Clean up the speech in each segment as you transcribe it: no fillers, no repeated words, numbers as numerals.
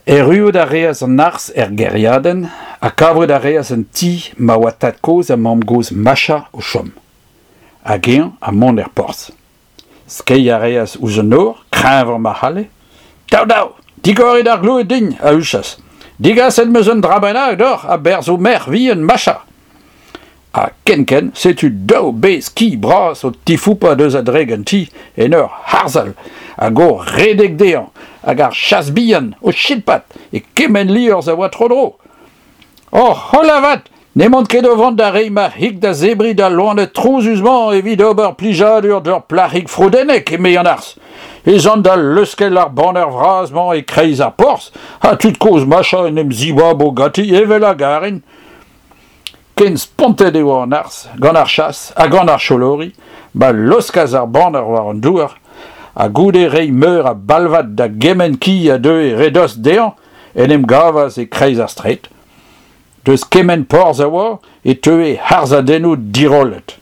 Erruout a reas an arzh er gêriadenn ha kavout a reas un ti ma oa tad-kozh ha mamm-gozh Macha o chom. Hag eñ ha mont er porzh. Skeiñ a reas ouzh an nor, kreñvañ ma c'halle. Dav dav, digorit ar gloued din, a huchas. Digaset 'm eus un dra bennak deoc'h a-berzh ho merc'h vihan Macha. Ha kenkent setu daou bezh ki bras o tifoupañ deus a-drek an ti en ur harzhal hag o redek dezhañ hag ar chas bihan o chilpat e kement liorzh a oa tro-dro. Oc'h holl avat, n'emaon ket o vont da reiñ ma c'hig da zebriñ d'al loened trouzus-mañ evit ober plijadur d'ur plac'hig froudennek, eme an arzh. Ez an da leuskel ar baner vras-mañ e-kreiz ar porzh ha tud-kozh Macha en em zibabo ganti evel a garin. Ken spontet e oa an arzh gant ar chas ha gant ar cholori ma laoskas ar banner war an douar ha goude reiñ meur a balvad da gement ki a deue re dost dezhañ en em gavas e-kreiz ar straed. Deus kement porzh a oa e teue harzadennoù dirollet.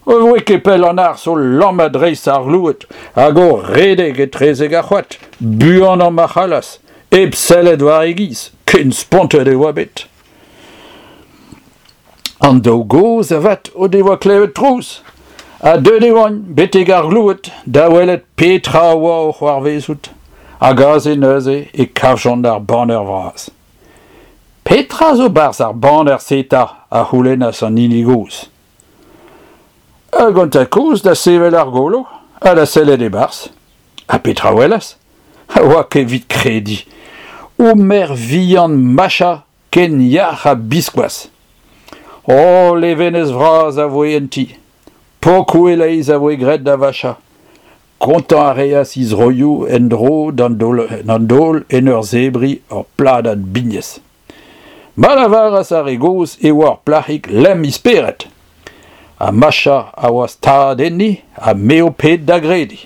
Ne voe ket pell an arzh o lammat dreist ar gloued hag o redek etrezek ar c'hoad, buanañ ma c'hallas, hep sellet war e giz, ken spontet e oa bet. An daou gozh avat o devoa klevet trouz ha deuet e oant betek ar gloued da welet petra a oa o c'hoarvezout hag aze neuze e kavjont ar baner vras. Petra zo 'barzh ar baner-se 'ta a c'houlennas an hini gozh. Hag an tad-kozh da sevel ar golo ha da sellet e-barzh. Ha petra 'welas? Oa ket evit krediñ. O merc'h vihan Macha ken yac'h ha biskoazh. O levenez vras a voe en ti. Pokoù e-leizh a voe graet da Vacha. Kontañ a reas he zroioù en-dro d'an daol en ur zebriñ ur pladad bignez. Ma lavaras ar re gozh e oa ur plac'hig lemm he spered. Ha Macha a oa stad enni ha me ho ped da grediñ.